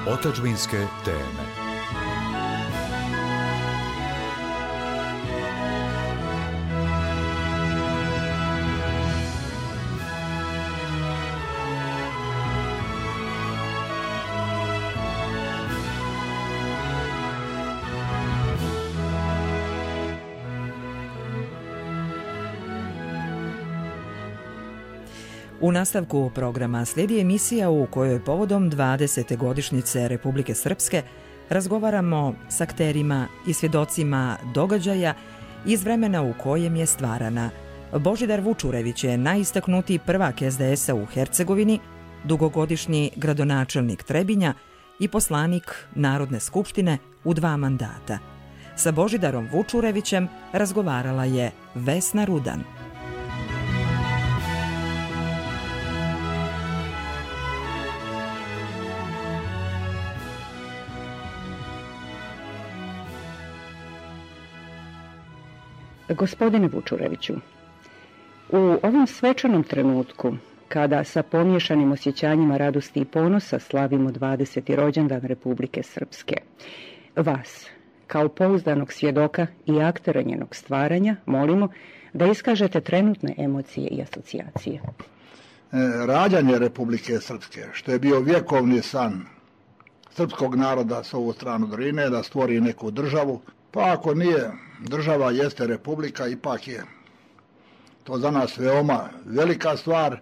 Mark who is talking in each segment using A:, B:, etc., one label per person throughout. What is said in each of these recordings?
A: Otadžbinske teme.
B: U nastavku programa slijedi emisija u kojoj povodom 20. godišnjice Republike Srpske razgovaramo s akterima i svjedocima događaja iz vremena u kojem je stvarana. Božidar Vučurević je najistaknutiji prvak SDS-a u Hercegovini, dugogodišnji gradonačelnik Trebinja i poslanik Narodne skupštine u 2 mandata. Sa Božidarom Vučurevićem razgovarala je Vesna Rudan.
C: Gospodine Vučureviću, u ovom svečanom trenutku, kada sa pomiješanim osjećanjima radosti i ponosa slavimo 20. rođendan Republike Srpske, vas, kao pouzdanog svjedoka i aktera njenog stvaranja, molimo da iskažete trenutne emocije i asocijacije.
D: Rađanje Republike Srpske, što je bio vjekovni san srpskog naroda s ovu stranu Drine, da stvori neku državu, pa ako nije država, jeste republika, ipak je to za nas veoma velika stvar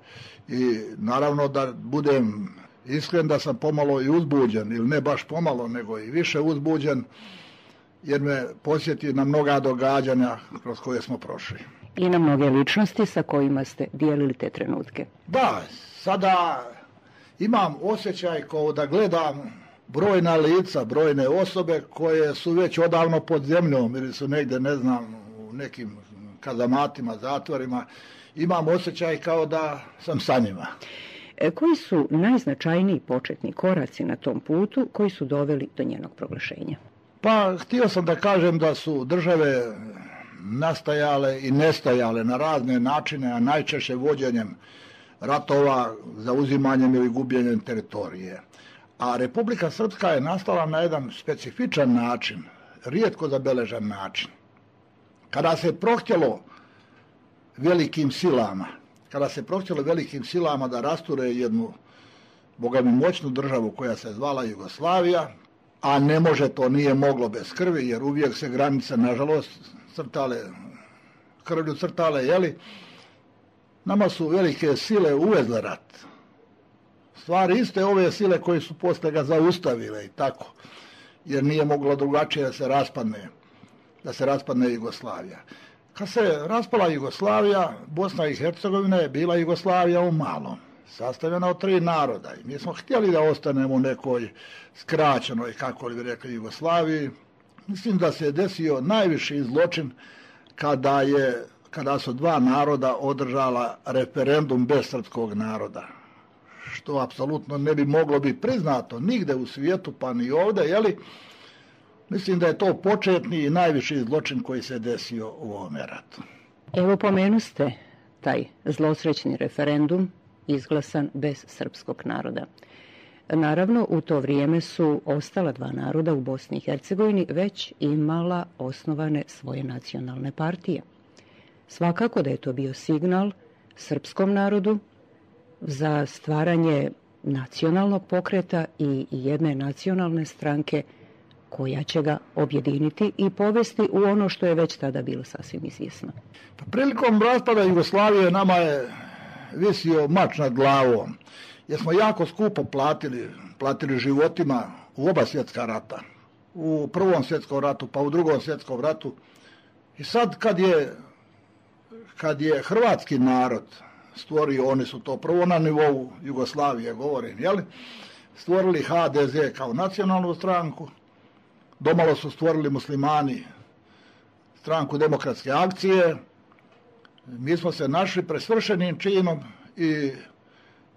D: i naravno da budem iskren da sam pomalo i uzbuđen, ili ne baš pomalo, nego i više uzbuđen, jer me posjeti na mnoga događanja kroz koje smo prošli.
C: I na mnoge ličnosti sa kojima ste dijelili te trenutke.
D: Da, sada imam osjećaj kao da gledam brojna lica, brojne osobe koje su već odavno pod zemljom ili su negdje, ne znam, u nekim kazamatima, zatvorima. Imam osjećaj kao da sam sa njima.
C: Koji su najznačajniji početni koraci na tom putu koji su doveli do njenog proglašenja?
D: Pa, htio sam da kažem da su države nastajale i nestajale na razne načine, a najčešće vođenjem ratova, zauzimanjem ili gubljenjem teritorije. A Republika Srpska je nastala na jedan specifičan način, rijetko zabeležen način. Kada se prohtjelo velikim silama da rasture jednu bogami moćnu državu koja se zvala Jugoslavija, a ne može, to nije moglo bez krvi, jer uvijek se granice, nažalost, krvlju crtale, jeli? Nama su velike sile uvezle rat. Stvari iste ove sile koje su poslije ga zaustavile i tako, jer nije moglo drugačije da se raspadne Jugoslavija. Kad se raspala Jugoslavija, Bosna i Hercegovina je bila Jugoslavija u malom, sastavljena od 3 naroda. I mi smo htjeli da ostanemo u nekoj skraćenoj, kako li bi rekli, Jugoslaviji. Mislim da se je desio najviši zločin kada su 2 naroda održala referendum bez srpskog naroda, što apsolutno ne bi moglo biti priznato nigde u svijetu, pa ni ovdje, jeli? Mislim da je to početni i najviši zločin koji se desio u ovome ratu.
C: Evo, pomenuste taj zlosrećni referendum izglasan bez srpskog naroda. Naravno, u to vrijeme su ostala 2 naroda u Bosni i Hercegovini već imala osnovane svoje nacionalne partije. Svakako da je to bio signal srpskom narodu za stvaranje nacionalnog pokreta i jedne nacionalne stranke koja će ga objediniti i povesti u ono što je već tada bilo sasvim izvjesno.
D: Prilikom raspada Jugoslavije nama je visio mač nad glavom, jer smo jako skupo platili životima u oba svjetska rata. U Prvom svjetskom ratu, pa u Drugom svjetskom ratu. I sad kad je hrvatski narod stvorio, oni su to prvo na nivou Jugoslavije, govorim, jeli? Stvorili HDZ kao nacionalnu stranku, domalo su stvorili muslimani stranku Demokratske akcije, mi smo se našli pred svršenim činom i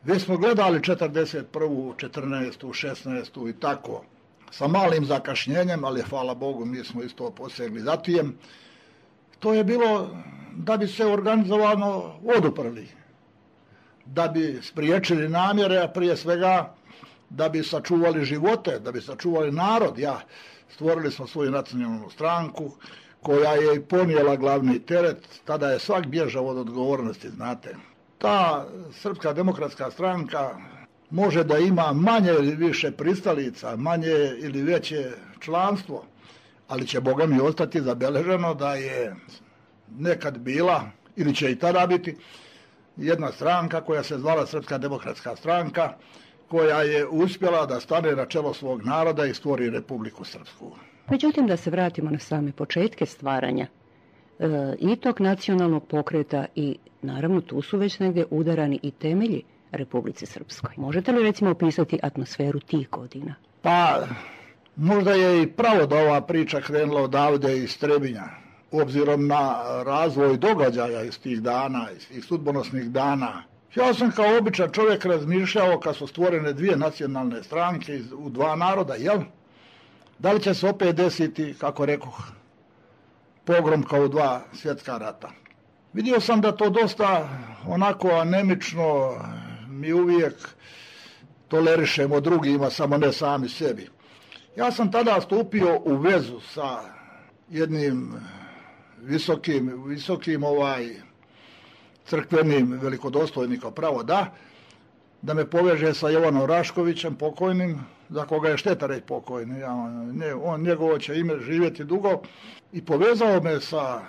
D: već smo gledali 41., 14., 16. i tako, sa malim zakašnjenjem, ali hvala Bogu mi smo isto posegli za tijem. To je bilo da bi se organizovano oduprli, da bi spriječili namjere, a prije svega da bi sačuvali živote, da bi sačuvali narod. Stvorili smo svoju nacionalnu stranku koja je i ponijela glavni teret, tada je svak bježao od odgovornosti, znate. Ta Srpska demokratska stranka može da ima manje ili više pristalica, manje ili veće članstvo, ali će Boga mi ostati zabeleženo da je nekad bila, ili će i tada biti, jedna stranka koja se zvala Srpska demokratska stranka, koja je uspjela da stane na čelo svog naroda i stvori Republiku Srpsku.
C: Međutim, da se vratimo na same početke stvaranja i tog nacionalnog pokreta i naravno tu su već negdje udarani i temelji Republici Srpskoj. Možete li recimo opisati atmosferu tih godina?
D: Pa, možda je i pravo da ova priča krenula odavde iz Trebinja, obzirom na razvoj događaja iz tih dana, iz tih sudbonosnih dana. Ja sam kao običan čovjek razmišljao kad su stvorene dvije nacionalne stranke u dva naroda, jel? Da li će se opet desiti, kako rekoh, pogrom kao u dva svjetska rata? Vidio sam da to dosta onako anemično mi uvijek tolerišemo drugima, samo ne sami sebi. Ja sam tada stupio u vezu sa jednim visokim crkvenim velikodostojnikom, pravo da me poveže sa Jovanom Raškovićem, pokojnim, za koga je šteta reći pokojni, njegovo će ime živjeti dugo, i povezao me sa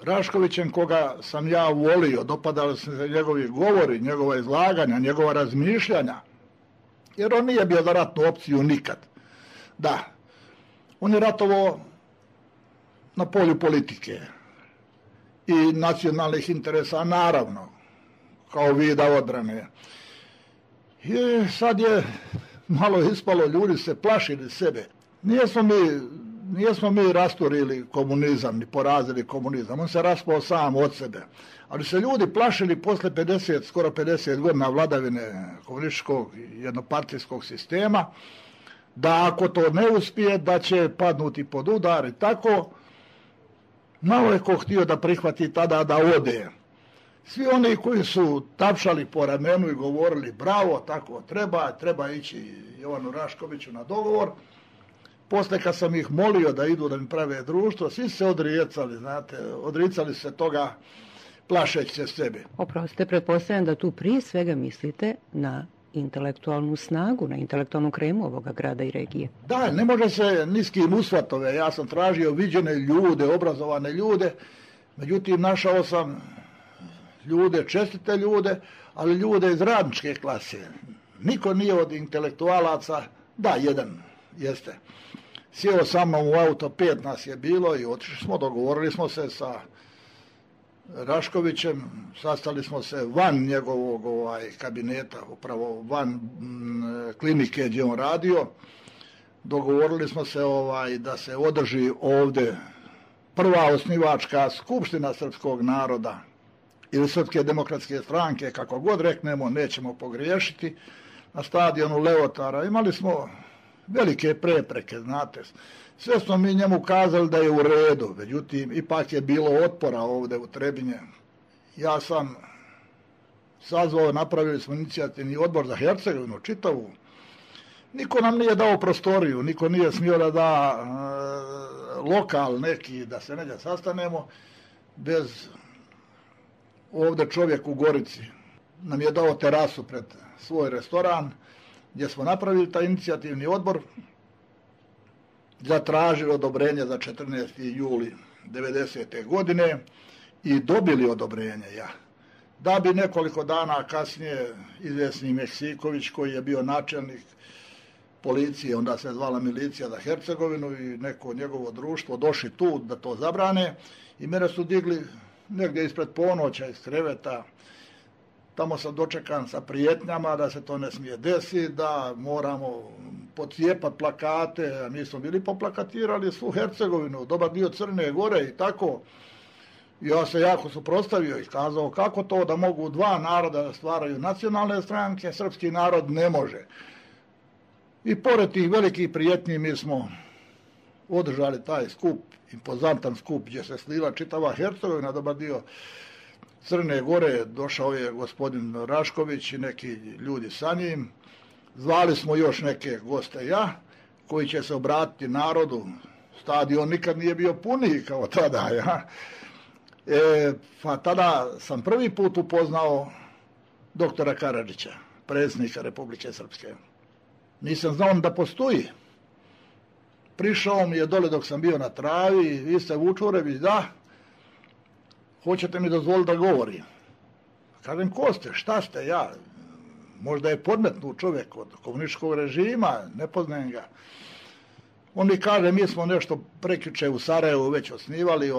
D: Raškovićem, koga sam ja volio, dopadali su se njegovi govori, njegova izlaganja, njegova razmišljanja, jer on nije bio za ratnu opciju nikad. Da, on je ratovao na polju politike i nacionalnih interesa, naravno, kao vida odbrane. I sad je malo ispalo, ljudi se plašili sebe. Nijesmo mi rasturili komunizam, ni porazili komunizam, on se raspao sam od sebe. Ali se ljudi plašili posle skoro 50 godina vladavine komunističkog jednopartijskog sistema, da ako to ne uspije, da će padnuti pod udar i tako. Malo je ko htio da prihvati tada da ode. Svi oni koji su tapšali po ramenu i govorili bravo, tako treba ići Jovanu Raškoviću na dogovor. Posle kad sam ih molio da idu da mi prave društvo, svi se odricali se toga plašeći se sebe.
C: Oprostite, pretpostavljam da tu prije svega mislite na intelektualnu snagu, na intelektualnu kremu ovoga grada i regije.
D: Da, ne može se ni s kim usvatove. Ja sam tražio viđene ljude, obrazovane ljude, međutim našao sam ljude, čestite ljude, ali ljude iz radničke klase. Niko nije od intelektualaca, da, jedan jeste. Sjeo sa mnom u auto, 5 nas je bilo i otišli smo, dogovorili smo se sa Raškovićem, sastali smo se van njegovog kabineta, upravo van klinike gdje on radio. Dogovorili smo se da se održi ovdje prva osnivačka skupština srpskog naroda ili Srpske demokratske stranke, kako god reknemo, nećemo pogriješiti, na stadionu Leotara. Imali smo velike prepreke, znate. Sve smo mi njemu kazali da je u redu, međutim, ipak je bilo otpora ovdje u Trebinje. Ja sam sazvao, napravili smo inicijativni odbor za Hercegovinu, čitavu. Niko nam nije dao prostoriju, niko nije smio da da lokal neki, da se negdje sastanemo, bez ovdje čovjek u Gorici nam je dao terasu pred svoj restoran, gdje smo napravili taj inicijativni odbor, zatražili odobrenje za 14. juli 90. godine i dobili odobrenje. Da bi nekoliko dana kasnije izvjesni Meksiković, koji je bio načelnik policije, onda se zvala milicija za Hercegovinu, i neko njegovo društvo došli tu da to zabrane, i mene su digli negdje ispred ponoća iz kreveta. Tamo sam dočekan sa prijetnjama da se to ne smije desiti, da moramo pocijepati plakate, a mi smo bili poplakatirali svu Hercegovinu, dobar dio Crne Gore i tako. Ja se jako suprotstavio i kazao kako to da mogu dva naroda da stvaraju nacionalne stranke, srpski narod ne može. I pored tih velikih prijetnji mi smo održali taj skup, impozantan skup, gdje se slila čitava Hercegovina, dobar dio Crne Gore, došao je gospodin Rašković i neki ljudi sa njim. Zvali smo još neke goste koji će se obratiti narodu. Stadion nikad nije bio puniji kao tada, pa tada sam prvi put upoznao doktora Karadžića, predsjednika Republike Srpske. Nisam znao da postoji. Prišao mi je dole dok sam bio na travi, vi ste Vučurević, da, hoćete mi dozvoliti da govorim. Kažem, ko ste, šta ste, ja, možda je podmetnut čovjek od komunističkog režima, ne poznajem ga. On mi kaže, mi smo nešto prekjuče u Sarajevu već osnivali,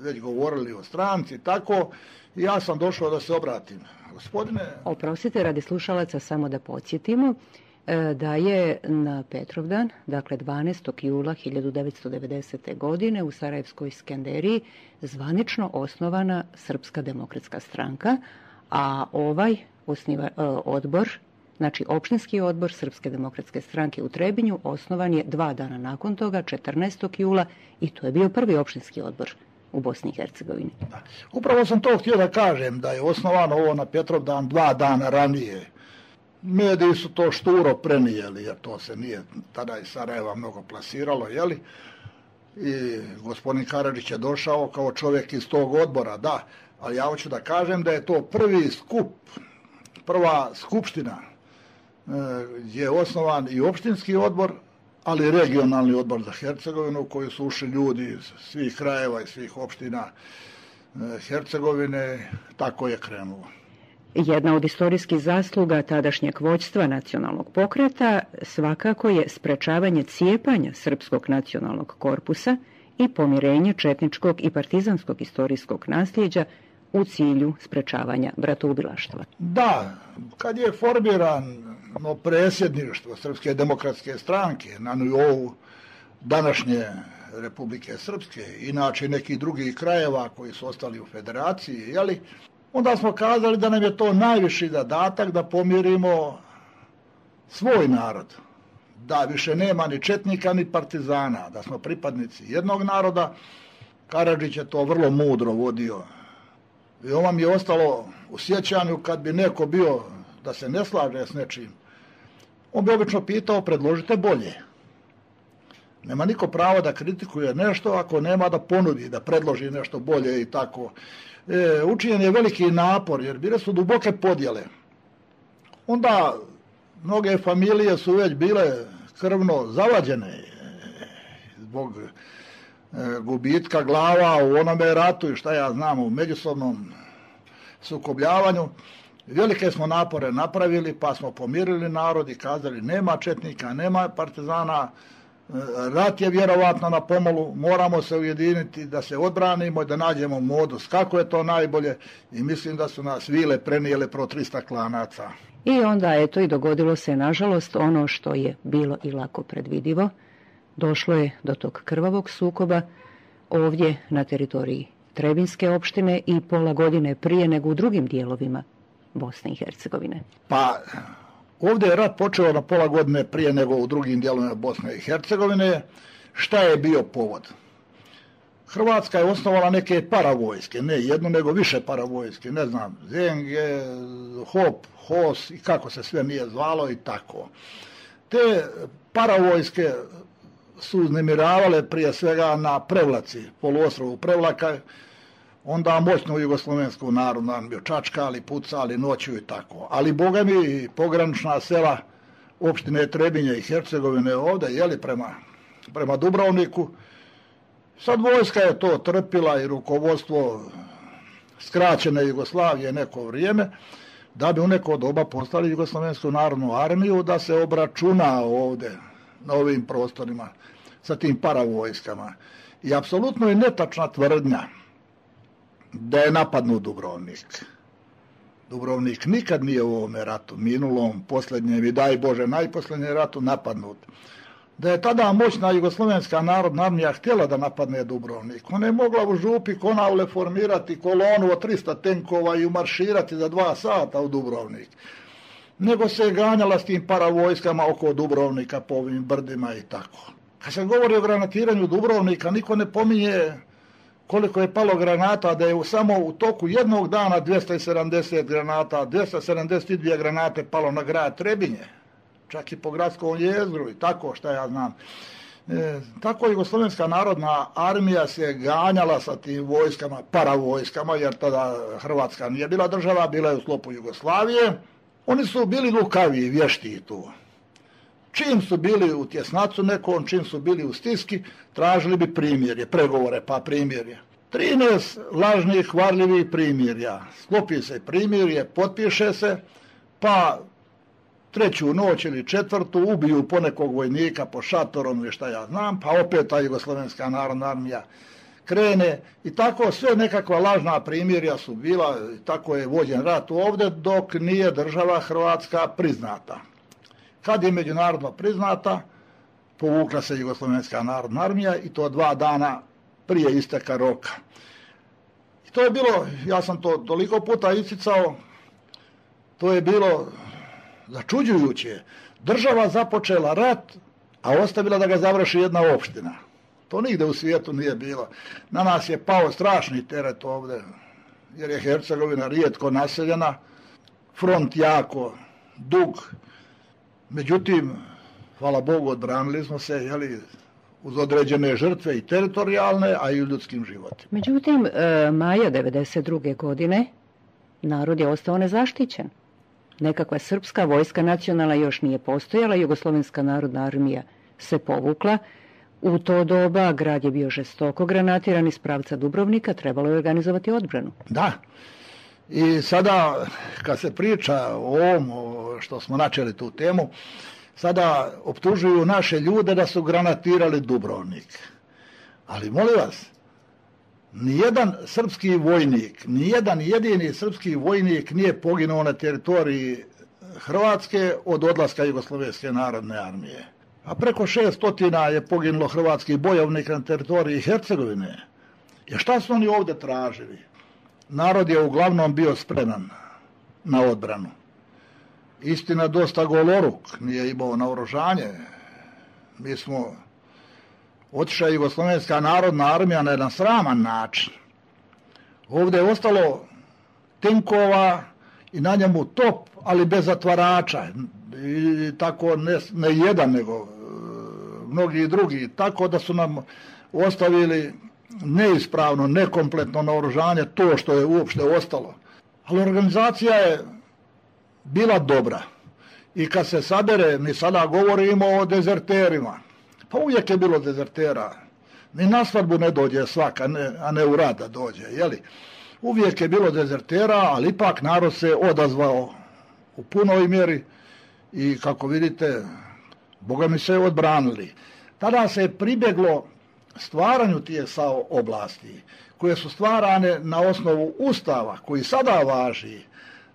D: već govorili o stranci, tako, i ja sam došao da se obratim. Gospodine...
C: Oprostite, radi slušalaca samo da podsjetimo da je na Petrovdan, dakle 12. jula 1990. godine u Sarajevskoj Skenderiji zvanično osnovana Srpska demokratska stranka, a ovaj odbor, znači opštinski odbor Srpske demokratske stranke u Trebinju, osnovan je 2 dana nakon toga, 14. jula, i to je bio prvi opštinski odbor u Bosni i Hercegovini.
D: Upravo sam to htio da kažem, da je osnovano ovo na Petrovdan 2 dana ranije. Mediji su to šturo prenijeli, jer to se nije tada iz Sarajeva mnogo plasiralo, jeli? I gospodin Karadžić je došao kao čovjek iz tog odbora, da, ali ja hoću da kažem da je to prvi skup, prva skupština gdje je osnovan i opštinski odbor, ali i regionalni odbor za Hercegovinu, u koji su ušli ljudi iz svih krajeva i svih opština Hercegovine, tako je krenulo.
C: Jedna od istorijskih zasluga tadašnjeg vođstva nacionalnog pokreta svakako je sprečavanje cijepanja srpskog nacionalnog korpusa i pomirenje četničkog i partizanskog istorijskog nasljeđa u cilju sprečavanja bratoubilaštva.
D: Da, kad je formirano predsjedništvo Srpske demokratske stranke na nivou današnje Republike Srpske, inače i nekih drugih krajeva koji su ostali u federaciji, jeli, onda smo kazali da nam je to najviši zadatak da pomirimo svoj narod. Da više nema ni četnika ni partizana, da smo pripadnici jednog naroda. Karadžić je to vrlo mudro vodio. I ovo mi je ostalo u sjećanju kad bi neko bio da se ne slaže s nečim. On bi obično pitao, predložite bolje. Nema niko pravo da kritikuje nešto ako nema da ponudi, da predloži nešto bolje i tako. Učinjen je veliki napor jer bile su duboke podjele. Onda mnoge familije su već bile krvno zavađene zbog gubitka glava u onome ratu i šta ja znam u međusobnom sukobljavanju. Velike smo napore napravili pa smo pomirili narod i kazali nema četnika, nema partizana, rat je vjerovatno na pomolu, moramo se ujediniti da se odbranimo i da nađemo modus kako je to najbolje i mislim da su nas vile prenijele pro 300 klanaca.
C: I onda eto i dogodilo se nažalost ono što je bilo i lako predvidivo. Došlo je do tog krvavog sukoba ovdje na teritoriji Trebinske opštine i pola godine prije nego u drugim dijelovima Bosne i Hercegovine.
D: Pa ovdje je rat počeo na pola godine prije nego u drugim dijelovima Bosne i Hercegovine. Šta je bio povod? Hrvatska je osnovala neke paravojske, ne jednu nego više paravojske, ne znam, Zenge, Hop, Hos i kako se sve nije zvalo i tako. Te paravojske su uznemiravale prije svega na Prevlaci, poluostrovu Prevlaka, onda moćnu jugoslovensku narodnu armiju čačkali, pucali noću i tako. Ali boga mi pogranična sela opštine Trebinje i Hercegovine ovdje, jeli prema Dubrovniku, sad vojska je to trpila i rukovodstvo skraćene Jugoslavije neko vrijeme, da bi u neko doba postali jugoslovensku narodnu armiju, da se obračuna ovdje na ovim prostorima sa tim paravojskama. I apsolutno je netačna tvrdnja da je napadnut Dubrovnik. Dubrovnik nikad nije u ovome ratu, minulom, posljednjem i daj Bože najposljednjem ratu napadnut. Da je tada moćna jugoslovenska narodna armija htjela da napadne Dubrovnik. Ona je mogla u župi Konavle formirati kolonu od 300 tenkova i umarširati za 2 sata u Dubrovnik. Nego se je ganjala s tim paravojskama oko Dubrovnika po ovim brdima i tako. Kad se govori o granatiranju Dubrovnika, niko ne pominje koliko je palo granata, da je samo u toku jednog dana 270 granata, 272 granate palo na grad Trebinje. čak i po gradskom jezgru i tako šta ja znam. Tako Jugoslovenska narodna armija se ganjala sa tim vojskama, paravojskama, jer tada Hrvatska nije bila država, bila je u sklopu Jugoslavije. Oni su bili lukavi, vješti tu. Čim su bili u tjesnacu nekom, čim su bili u stiski, tražili bi primirje, pregovore pa primirje. 13 lažnih, varljivih primirja. Sklopi se primirje, potpiše se, pa treću noć ili četvrtu ubiju ponekog vojnika po šatorom ili šta ja znam, pa opet ta Jugoslovenska narodna armija krene i tako sve nekakva lažna primirja su bila, tako je vođen rat ovdje dok nije država Hrvatska priznata. Kad je međunarodno priznata, povukla se Jugoslovenska narodna armija i to 2 dana prije isteka roka. I to je bilo, ja sam to toliko puta isticao, to je bilo začuđujuće. Država započela rat, a ostavila da ga završi jedna opština. To nigde u svijetu nije bilo. Na nas je pao strašni teret ovdje, jer je Hercegovina rijetko naseljena, front jako dug. Međutim, hvala Bogu, odbranili smo se, jeli, uz određene žrtve i teritorijalne, a i u ljudskim životima.
C: Međutim, maja 1992. godine narod je ostao nezaštićen. Nekakva srpska vojska nacionalna još nije postojala, Jugoslovenska narodna armija se povukla. U to doba grad je bio žestoko granatiran iz pravca Dubrovnika, trebalo je organizovati odbranu.
D: Da, i sada kad se priča o ovom što smo načeli tu temu, sada optužuju naše ljude da su granatirali Dubrovnik. Ali molim vas, nijedan srpski vojnik, nijedan jedini srpski vojnik nije poginuo na teritoriji Hrvatske od odlaska Jugoslovenske narodne armije. A preko 600 je poginulo hrvatskih bojovnika na teritoriji Hercegovine. I šta su oni ovdje tražili? Narod je uglavnom bio spreman na odbranu. Istina, dosta goloruk, nije imao naoružanje. Mi smo otišla Jugoslovenska narodna armija na jedan sraman način. Ovdje je ostalo tenkova i na njemu top, ali bez zatvarača. I tako ne jedan, nego mnogi drugi. Tako da su nam ostavili neispravno, nekompletno naoružanje, to što je uopšte ostalo. Ali organizacija je bila dobra. I kad se sabere, mi sada govorimo o dezerterima. Pa uvijek je bilo dezertera. Ni na svadbu ne dođe svaka, a ne u rad da dođe. Jeli? Uvijek je bilo dezertera, ali ipak narod se odazvao u punoj mjeri i kako vidite, Boga mi se odbranili. Tada se je pribjeglo stvaranju tih SAO oblasti, koje su stvarane na osnovu Ustava, koji sada važi,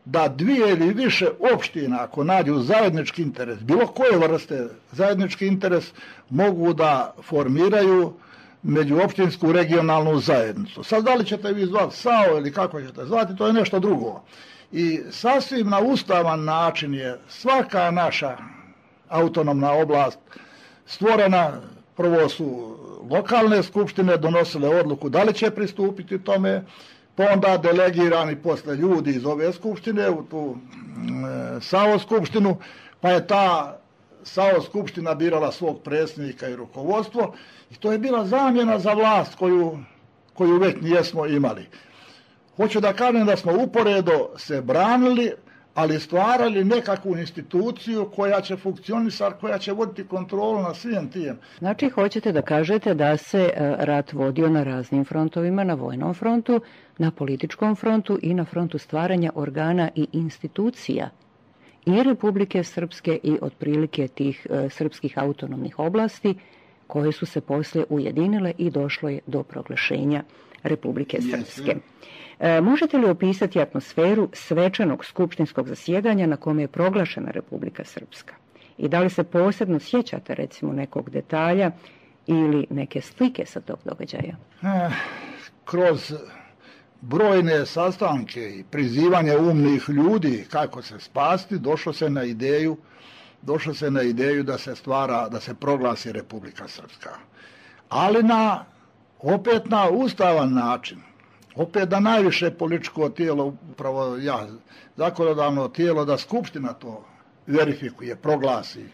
D: da 2 ili više opština, ako nađu zajednički interes, bilo koje vrste zajednički interes, mogu da formiraju međuopštinsku regionalnu zajednicu. Sad da li ćete vi zvati SAO ili kako ćete zvati, to je nešto drugo. I sasvim na ustavan način je svaka naša autonomna oblast stvorena. Prvo su lokalne skupštine donosile odluku da li će pristupiti tome, pa onda delegirani posle ljudi iz ove skupštine u tu SAO skupštinu, pa je ta SAO skupština birala svog predsjednika i rukovodstvo i to je bila zamjena za vlast koju već nijesmo imali. Hoću da kažem da smo uporedo se branili, ali stvarali nekakvu instituciju koja će funkcionisati, koja će voditi kontrolu na svim tim.
C: Znači, hoćete da kažete da se rat vodio na raznim frontovima, na vojnom frontu, na političkom frontu i na frontu stvaranja organa i institucija i Republike Srpske i otprilike tih srpskih autonomnih oblasti koje su se poslije ujedinile i došlo je do proglašenja Republike Srpske. Možete li opisati atmosferu svečanog skupštinskog zasjedanja na kome je proglašena Republika Srpska? I da li se posebno sjećate recimo nekog detalja ili neke slike sa tog događaja?
D: Kroz brojne sastanke i prizivanje umnih ljudi kako se spasti, došlo se na ideju da se proglasi Republika Srpska. Ali opet na ustavan način. Opet da najviše političko tijelo, upravo zakonodavno tijelo, da skupština to verifikuje, proglasi.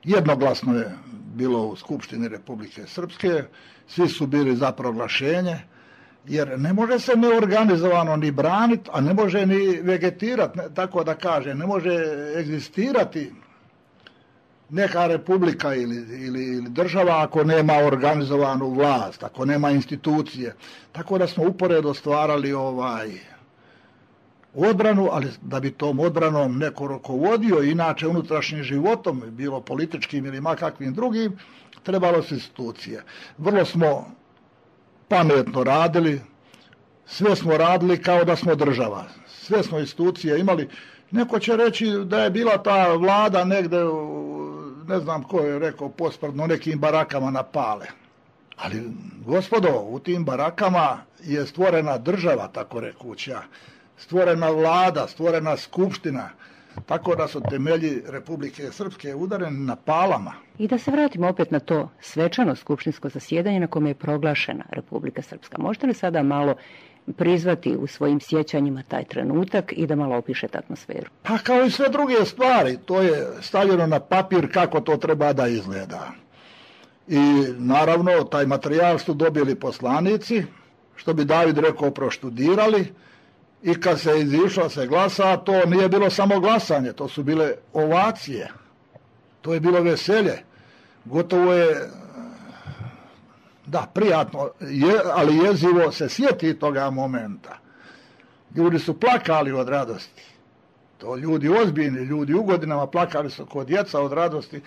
D: Jednoglasno je bilo u Skupštini Republike Srpske, svi su bili za proglašenje, jer ne može se neorganizovano ni braniti, a ne može ni vegetirati, tako da kaže, ne može egzistirati neka republika ili država ako nema organizovanu vlast, ako nema institucije. Tako da smo uporedo stvarali odbranu, ali da bi tom odbranom neko rukovodio, inače unutrašnjim životom, bilo političkim ili makakvim drugim, trebalo su institucije. Vrlo smo pametno radili, sve smo radili kao da smo država. Sve smo institucije imali. Neko će reći da je bila ta vlada negde, ne znam ko je rekao, posprdno nekim barakama na Pale. Ali, gospodo, u tim barakama je stvorena država, tako rekuća, stvorena vlada, stvorena skupština, tako da su temelji Republike Srpske udareni na Palama.
C: I da se vratimo opet na to svečano skupštinsko zasjedanje na kome je proglašena Republika Srpska. Možete li sada malo prizvati u svojim sjećanjima taj trenutak i da malo opišete atmosferu?
D: Pa kao i sve druge stvari, to je stavljeno na papir kako to treba da izgleda. I naravno, taj materijal su dobili poslanici, što bi David rekao, proštudirali, i kad se izišlo se glasa, to nije bilo samo glasanje, to su bile ovacije, to je bilo veselje. Gotovo je, da, prijatno, ali jezivo se sjeti toga momenta. Ljudi su plakali od radosti. To ljudi ozbiljni, ljudi u godinama plakali su kod djeca od radosti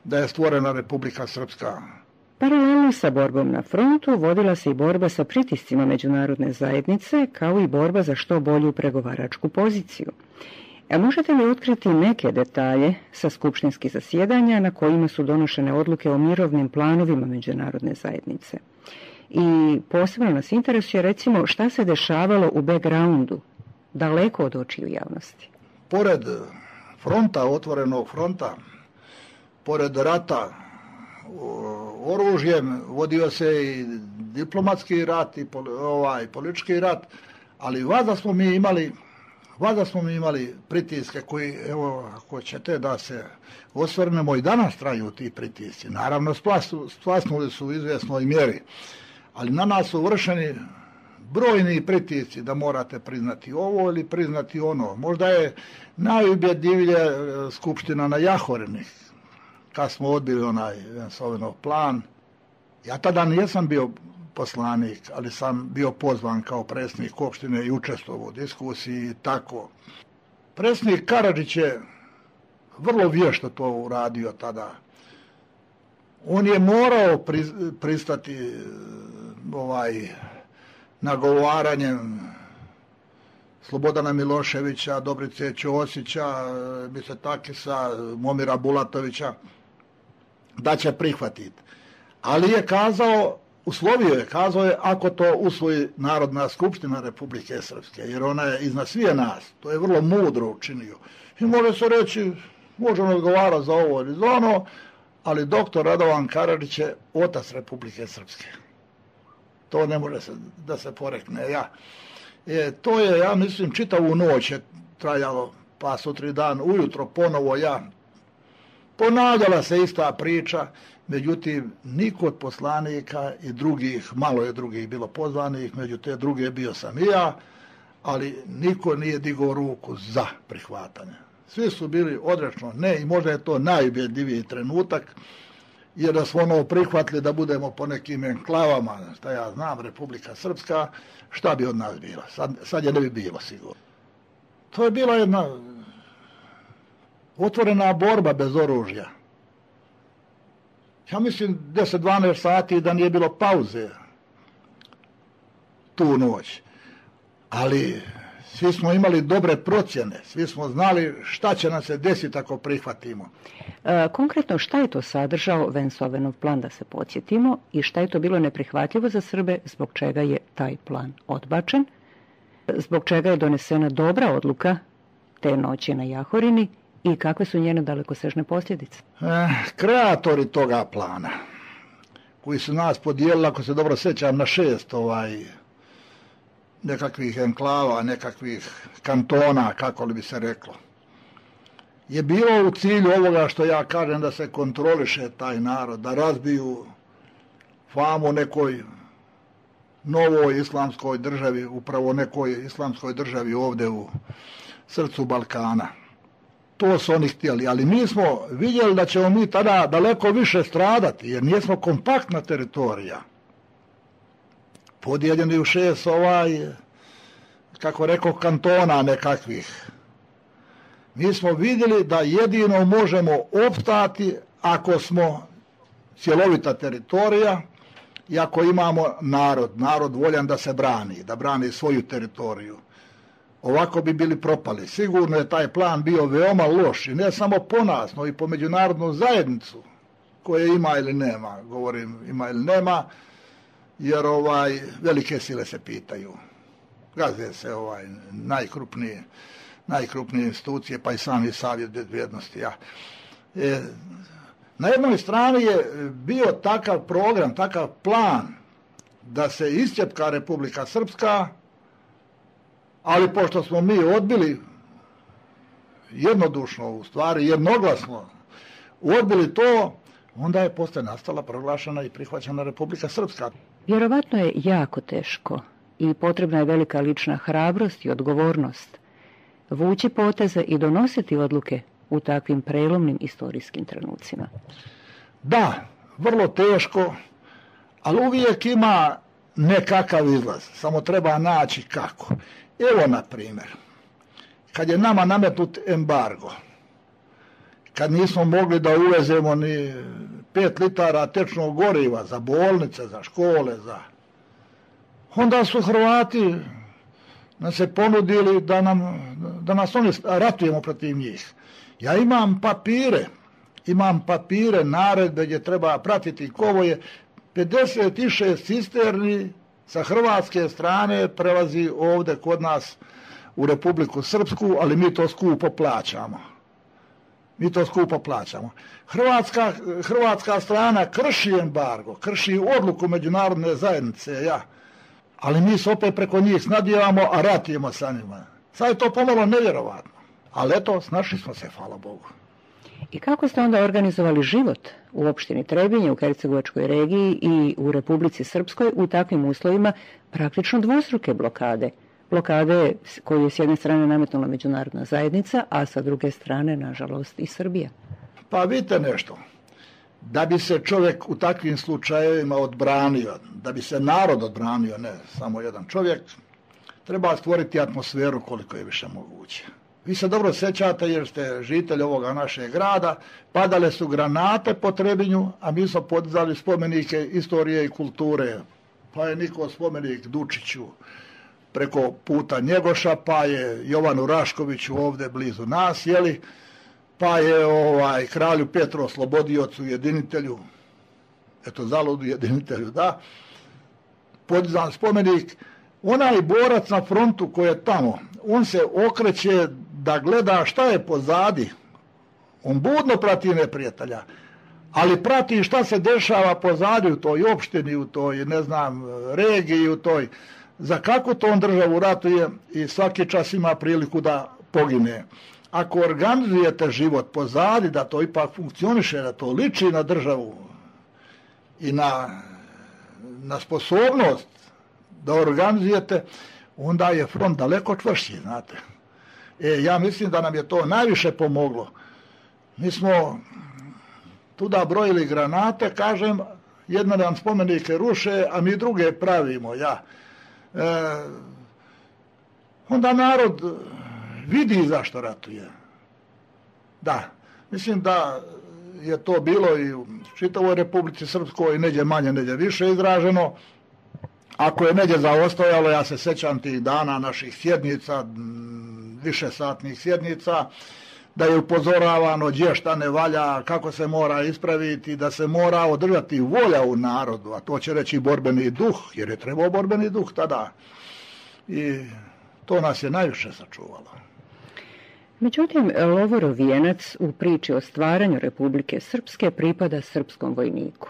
D: da je stvorena Republika Srpska.
C: Paralelno sa borbom na frontu vodila se i borba sa pritiscima međunarodne zajednice, kao i borba za što bolju pregovaračku poziciju. Možete li otkriti neke detalje sa skupštinskih zasjedanja na kojima su donošene odluke o mirovnim planovima međunarodne zajednice? I posebno nas interesuje, recimo, šta se dešavalo u backgroundu, daleko od očiju javnosti?
D: Pored fronta, otvorenog fronta, pored rata oružjem, vodio se i diplomatski rat i politički rat, ali valjda smo mi imali pritiske koji, evo, ako ćete da se osvrnemo, i danas traju ti pritisci. Naravno, splasnuli su u izvjesnoj mjeri, ali na nas su vršeni brojni pritisci da morate priznati ovo ili priznati ono. Možda je najubjedljivije skupština na Jahorini, kad smo odbili onaj Sovenov plan. Ja tada nisam bio poslanik, ali sam bio pozvan kao predsjednik opštine i učestvovao u diskusiji i tako. Predsjednik Karadžić je vrlo vješto to uradio tada. On je morao pristati nagovaranjem Slobodana Miloševića, Dobrice Ćosića, Misetakisa, Momira Bulatovića, da će prihvatiti. Ali je kazao, kazao je ako to usvoji Narodna skupština Republike Srpske, jer ona je iznad svije nas. To je vrlo mudro učinio. I može se reći, možemo odgovarati za ovo ili za ono, ali doktor Radovan Karadžić je otac Republike Srpske. To ne može da se porekne. To je, ja mislim, čitavu noć je trajalo, pa sutri dan ujutro ponovo ponavljala se ista priča, međutim, niko od poslanika i drugih, malo je drugih bilo pozvanih, među te druge bio sam i ja, ali niko nije digao ruku za prihvatanje. Svi su bili odrečno ne, i možda je to najubjedljiviji trenutak, jer da smo prihvatili da budemo po nekim enklavama, šta ja znam, Republika Srpska, šta bi od nas bila? Sad je ne bi bilo sigurno. To je bila jedna otvorena borba bez oružja. Ja mislim 10-12 sati da nije bilo pauze tu noć. Ali svi smo imali dobre procjene, svi smo znali šta će nam se desiti ako prihvatimo.
C: Konkretno, šta je to sadržao Vensovenov plan, da se podsjetimo, i šta je to bilo neprihvatljivo za Srbe, zbog čega je taj plan odbačen, zbog čega je donesena dobra odluka te noći na Jahorini i kakve su njene dalekosežne posljedice?
D: Kreatori toga plana, koji su nas podijelili, ako se dobro sjećam, na 6 nekakvih enklava, nekakvih kantona, kako li bi se reklo. je bilo u cilju ovoga što ja kažem, da se kontroliše taj narod, da razbiju famu nekoj novoj islamskoj državi, upravo nekoj islamskoj državi ovdje u srcu Balkana. To su oni htjeli, ali mi smo vidjeli da ćemo mi tada daleko više stradati, jer nismo kompaktna teritorija. Podijeljeni u 6 kako rekao, kantona nekakvih. Mi smo vidjeli da jedino možemo opstati ako smo cjelovita teritorija i ako imamo narod voljan da se brani, da brani svoju teritoriju. Ovako bi bili propali. Sigurno je taj plan bio veoma loš i ne samo po nas, no i po međunarodnu zajednicu, koje ima ili nema, govorim ima ili nema, jer velike sile se pitaju. Gaze se najkrupnije institucije, pa i sami Savjet bezbjednosti. Na jednoj strani je bio takav program, takav plan da se iscijepka Republika Srpska, ali pošto smo mi odbili jednodušno, u stvari jednoglasno odbili to, onda je poslije nastala, proglašena i prihvaćena Republika Srpska.
C: Vjerovatno je jako teško i potrebna je velika lična hrabrost i odgovornost vući poteze i donositi odluke u takvim prelomnim istorijskim trenucima.
D: Da, vrlo teško, ali uvijek ima nekakav izlaz, samo treba naći kako. Evo, na primjer, kad je nama nametnut embargo, kad nismo mogli da uvezemo ni 5 litara tečnog goriva za bolnice, za škole, onda su Hrvati nam se ponudili da nas oni ratujemo protiv njih. Ja imam papire, naredbe gdje treba pratiti kovoje. 56 cisterni sa hrvatske strane prelazi ovdje kod nas u Republiku Srpsku, ali mi to skupo plaćamo. Hrvatska strana krši embargo, krši odluku međunarodne zajednice, ali mi se opet preko njih snadjevamo, a ratujemo sa njima. Sad je to pomalo nevjerovatno, ali eto, snašli smo se, hvala Bogu.
C: I kako ste onda organizovali život u opštini Trebinje, u Hercegovačkoj regiji i u Republici Srpskoj u takvim uslovima praktično dvostruke blokade? Blokade koju je s jedne strane nametnula međunarodna zajednica, a sa druge strane, nažalost, i Srbija.
D: Pa vidite nešto, da bi se čovjek u takvim slučajevima odbranio, da bi se narod odbranio, ne samo jedan čovjek, treba stvoriti atmosferu koliko je više moguće. Vi se dobro sjećate jer ste žitelj ovoga našeg grada, padale su granate po Trebinju, a mi smo podizali spomenike istorije i kulture. Pa je niko spomenik Dučiću preko puta Njegoša, pa je Jovanu Raškoviću ovdje blizu nas, pa je kralju Petru Oslobodiocu, jedinitelju, zaludu jedinitelju, podizan spomenik. Onaj borac na frontu koji je tamo, on se okreće da gleda šta je pozadi. On budno prati neprijatelja, ali prati šta se dešava pozadi u toj opštini, u toj, regiji, u toj, za kakvu to on državu ratuje i svaki čas ima priliku da pogine. Ako organizujete život pozadi, da to ipak funkcioniše, da to liči na državu i na sposobnost da organizujete, onda je front daleko čvršći, znate. Ja mislim da nam je to najviše pomoglo. Mi smo tuda brojili granate, kažem, jedna nam spomenike ruše, a mi druge pravimo, onda narod vidi zašto ratuje. Da, mislim da je to bilo i u čitavoj Republici Srpskoj, neđe manje, neđe više izraženo. Ako je neđe zaostajalo, ja se sjećam tih dana naših sjednica, višesatnih sjednica, da je upozoravano gdje šta ne valja, kako se mora ispraviti, da se mora održati volja u narodu, a to će reći borbeni duh, jer je trebao borbeni duh tada. I to nas je najviše sačuvalo.
C: Međutim, Lovorov vijenac u priči o stvaranju Republike Srpske pripada srpskom vojniku,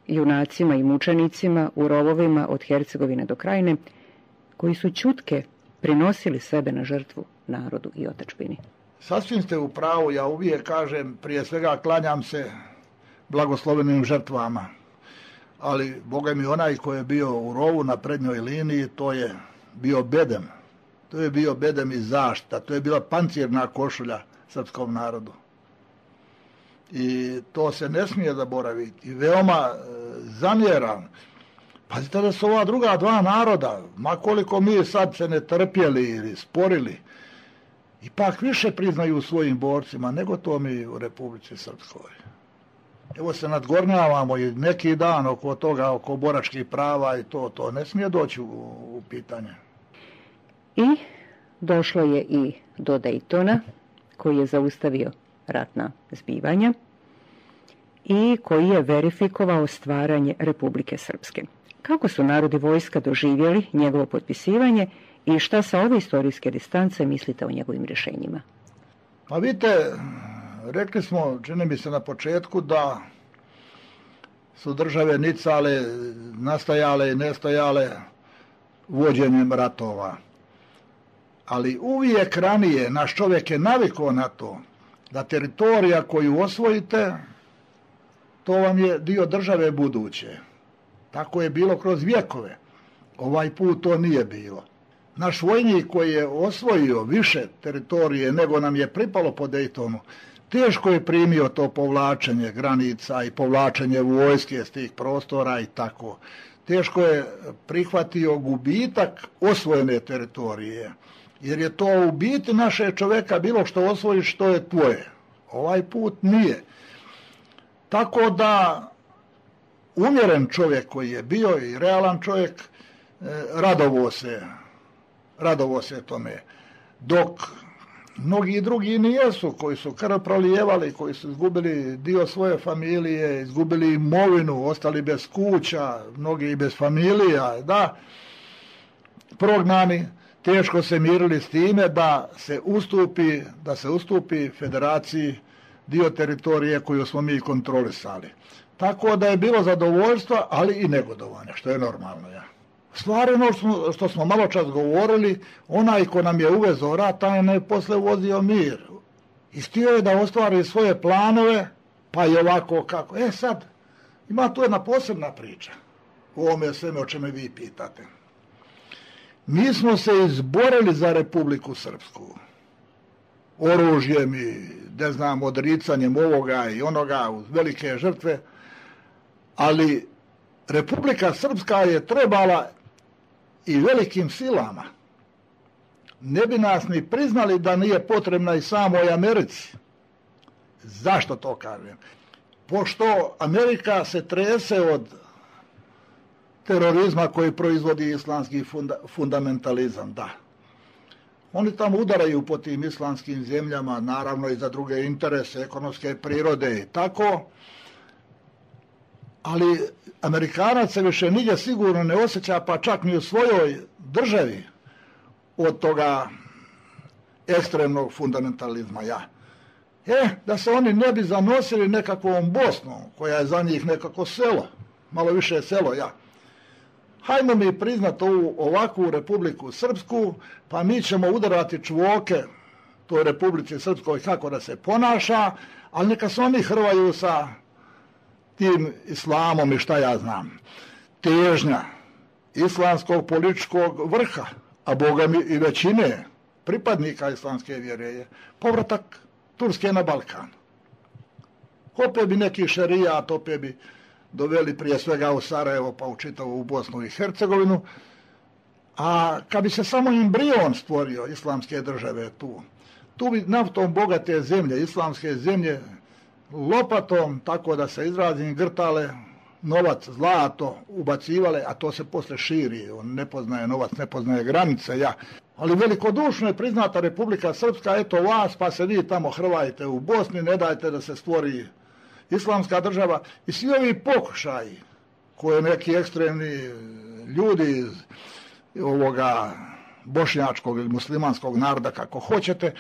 C: junacima i mučenicima u rovovima od Hercegovine do Krajine, koji su ćutke prinosili sebe na žrtvu narodu i otadžbini.
D: Sasvim ste u pravu, ja uvijek kažem, prije svega klanjam se blagoslovenim žrtvama. Ali, Boga mi, onaj koji je bio u rovu na prednjoj liniji, to je bio bedem. To je bio bedem i zaštita, to je bila pancirna košulja srpskom narodu. I to se ne smije zaboraviti. I veoma zamjeram. Pazite da su ova druga dva naroda, ma koliko mi sad se ne trpjeli ili sporili, ipak više priznaju svojim borcima nego to mi u Republici Srpskoj. Evo se nadgornjavamo i neki dan oko toga, oko boračkih prava i to ne smije doći u pitanje.
C: I došlo je i do Dejtona, koji je zaustavio ratna zbivanja i koji je verifikovao stvaranje Republike Srpske. Kako su narodi vojska doživjeli njegovo potpisivanje i šta sa ove istorijske distance mislite o njegovim rješenjima?
D: Pa vidite, rekli smo, čini mi se na početku, da su države nicale, nastajale i nestajale vođenjem ratova. Ali uvijek ranije naš čovjek je navikao na to da teritorija koju osvojite, to vam je dio države buduće. Tako je bilo kroz vjekove. Ovaj put to nije bilo. Naš vojnik koji je osvojio više teritorije nego nam je pripalo po Dejtonu, teško je primio to povlačenje granica i povlačenje vojske s tih prostora i tako. Teško je prihvatio gubitak osvojene teritorije, jer je to u biti naše čovjeka bilo što osvojiš, što je tvoje. Ovaj put nije. Tako da umjeren čovjek koji je bio i realan čovjek radovo se tome. Dok mnogi drugi nijesu, koji su krv prolijevali, koji su izgubili dio svoje familije, izgubili imovinu, ostali bez kuća, mnogi i bez familija, da, prognani, teško se mirili s time da se ustupi federaciji dio teritorije koju smo mi kontrolisali. Tako da je bilo zadovoljstva, ali i negodovanja, što je normalno. Ja. Stvari ono što smo malo čas govorili, onaj ko nam je uvezao rat, taj je posle uvozio mir. I htio je da ostvari svoje planove, pa i ovako kako. Sad, ima tu jedna posebna priča u ovome sveme o čemu vi pitate. Mi smo se izborili za Republiku Srpsku. Oružjem i, ne znam, odricanjem ovoga i onoga uz velike žrtve, ali Republika Srpska je trebala i velikim silama. Ne bi nas ni priznali da nije potrebna i samoj Americi. Zašto to kažem? Pošto Amerika se trese od terorizma koji proizvodi islamski fundamentalizam, da. Oni tamo udaraju po tim islamskim zemljama, naravno i za druge interese, ekonomske prirode i tako, ali Amerikanac se više nigdje sigurno ne osjeća, pa čak ni u svojoj državi, od toga ekstremnog fundamentalizma. Da se oni ne bi zanosili nekakvom Bosnom, koja je za njih nekako selo, malo više selo, hajmo mi priznati ovu ovakvu Republiku Srpsku, pa mi ćemo udarati čvoke toj Republici Srpskoj kako da se ponaša, ali neka se oni hrvaju sa tim islamom i šta ja znam. Težnja islamskog političkog vrha, a Boga mi i većine pripadnika islamske vjere, je povratak Turske na Balkan. Opet bi neki šerijat, opet bi doveli prije svega u Sarajevo, pa u čitavu Bosnu i Hercegovinu, a kad bi se samo embrion stvorio islamske države tu bi naftom bogate zemlje, islamske zemlje, lopatom, tako da se izrazim, grtale novac, zlato, ubacivale, a to se posle širi, on ne poznaje novac, ne poznaje granice, Ali velikodušno je priznata Republika Srpska, eto vas, pa se vi tamo hrvajte u Bosni, ne dajte da se stvori islamska država. I svi ovi pokušaji koje neki ekstremni ljudi iz ovoga bošnjačkog ili muslimanskog naroda, kako hoćete,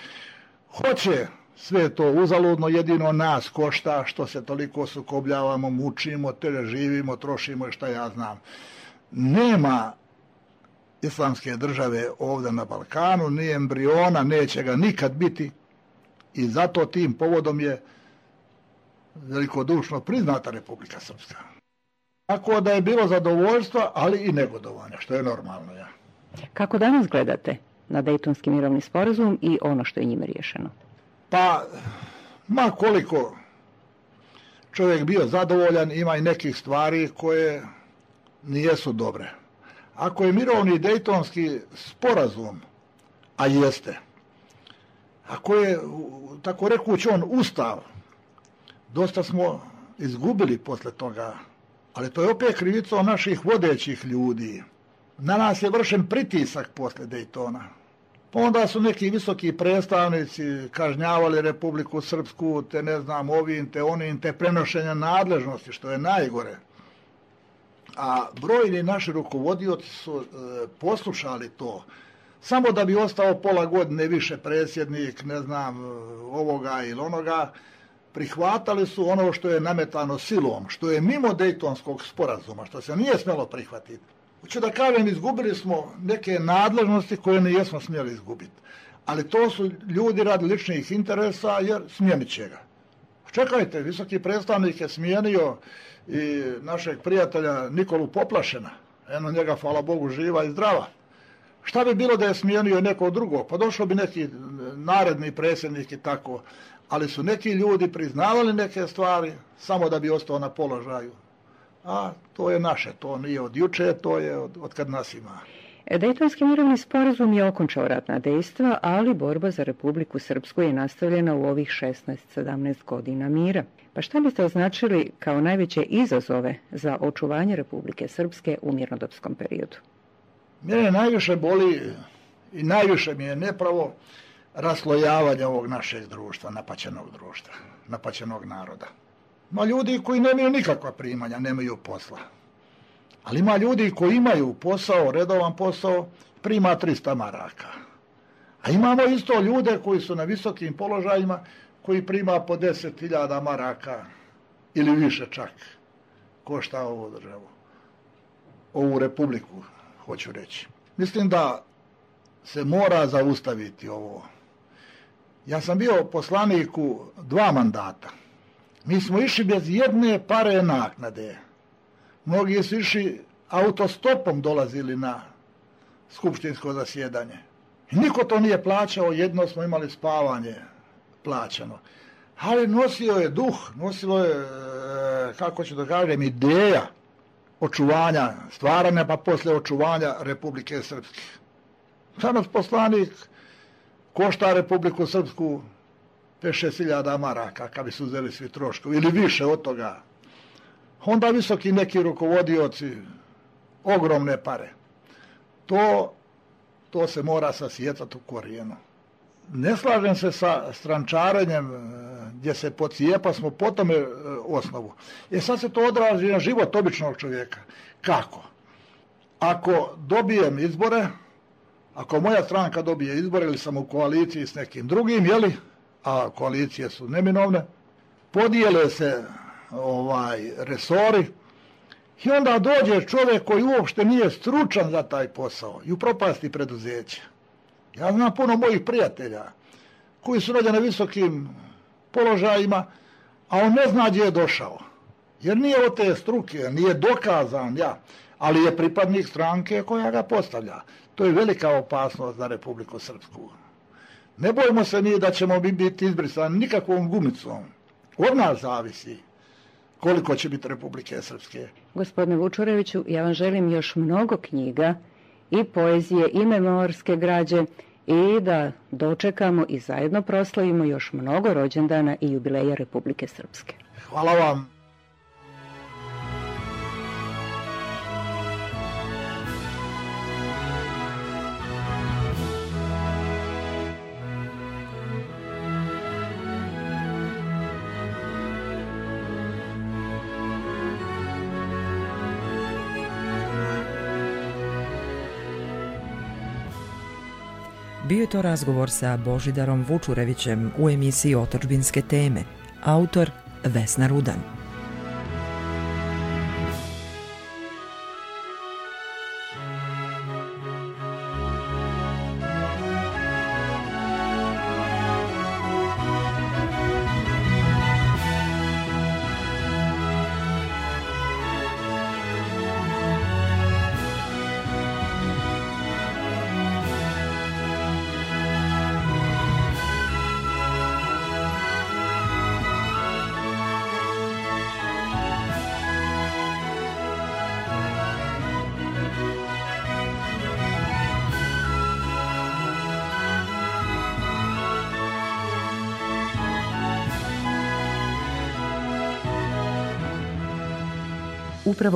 D: hoće sve to uzaludno, jedino nas košta što se toliko sukobljavamo, mučimo, živimo, trošimo i šta ja znam. Nema islamske države ovdje na Balkanu, ni embriona, neće ga nikad biti, i zato tim povodom je velikodušno priznata Republika Srpska. Tako da je bilo zadovoljstva, ali i negodovanja, što je normalno. Ja.
C: Kako danas gledate na Dejtonski mirovni sporazum i ono što je njime riješeno?
D: Pa, ma koliko čovjek bio zadovoljan, ima i nekih stvari koje nijesu dobre. Ako je mirovni Dejtonski sporazum, a jeste, ako je, tako rekući, on ustav, dosta smo izgubili posle toga, ali to je opet krivicom naših vodećih ljudi. Na nas je vršen pritisak posle Dejtona. Pa onda su neki visoki predstavnici kažnjavali Republiku Srpsku, te ne znam, ovim, te onim, te prenošenja nadležnosti, što je najgore. A brojni naši rukovodioci su poslušali to, samo da bi ostao pola godine više predsjednik, ne znam, ovoga ili onoga, prihvatali su ono što je nametano silom, što je mimo Dejtonskog sporazuma, što se nije smjelo prihvatiti. Hoću da kažem, izgubili smo neke nadležnosti koje ne jesmo smjeli izgubiti. Ali to su ljudi radi ličnih interesa, jer smijenit će ga. Čekajte, visoki predstavnik je smijenio i našeg prijatelja Nikolu Poplašena. Eno njega, hvala Bogu, živa i zdrava. Šta bi bilo da je smijenio neko drugo? Pa došao bi neki naredni predsjednik i tako. Ali su neki ljudi priznavali neke stvari samo da bi ostao na položaju. A to je naše, to nije od juče, to je od kad nas ima.
C: Dejtonski mirovni sporazum je okončao ratna dejstva, ali borba za Republiku Srpsku je nastavljena u ovih 16-17 godina mira. Pa šta biste označili kao najveće izazove za očuvanje Republike Srpske u mirnodopskom periodu?
D: Mene najviše boli i najviše mi je nepravo raslojavanje ovog našeg društva, napaćenog naroda. Ima ljudi koji nemaju nikakva primanja, nemaju posla. Ali ima ljudi koji imaju posao, redovan posao, prima 300 maraka. A imamo isto ljude koji su na visokim položajima, koji prima po 10.000 maraka ili više čak. Košta ovu državu, ovu republiku, hoću reći. Mislim da se mora zaustaviti ovo. Ja sam bio poslanik u 2 mandata. Mi smo išli bez jedne pare naknade. Mnogi su išli autostopom, dolazili na skupštinsko zasjedanje. I niko to nije plaćao, jedno smo imali spavanje plaćano. Ali nosio je duh, nosilo je, kako ću da kažem, ideja očuvanja, stvaranja, pa posle očuvanja Republike Srpske. Danas poslanik košta Republiku Srpsku 5-6 maraka, kad bi su uzeli svi troškovi, ili više od toga. Onda visoki neki rukovodioci, ogromne pare. To se mora sasijecati u korijenu. Ne slažem se sa strančarenjem gdje se pocijepa smo po tome osnovu. Sad se to odrazi na život običnog čovjeka. Kako? Ako dobijem izbore, ako moja stranka dobije izbore ili sam u koaliciji s nekim drugim, jeli, a koalicije su neminovne, podijele se resori i onda dođe čovjek koji uopšte nije stručan za taj posao i upropasti preduzeće. Ja znam puno mojih prijatelja koji su rođeni na visokim položajima, a on ne zna gdje je došao. Jer nije od te struke, nije dokazan, ali je pripadnik stranke koja ga postavlja. To je velika opasnost za Republiku Srpsku. Ne bojimo se mi da ćemo biti izbrisani nikakvom gumicom. Od nas zavisi koliko će biti Republike Srpske.
C: Gospodine Vučureviću, ja vam želim još mnogo knjiga i poezije i memorske građe i da dočekamo i zajedno proslavimo još mnogo rođendana i jubileja Republike Srpske.
D: Hvala vam.
B: Bio je to razgovor sa Božidarom Vučurevićem u emisiji Otadžbinske teme. Autor Vesna Rudan. upravo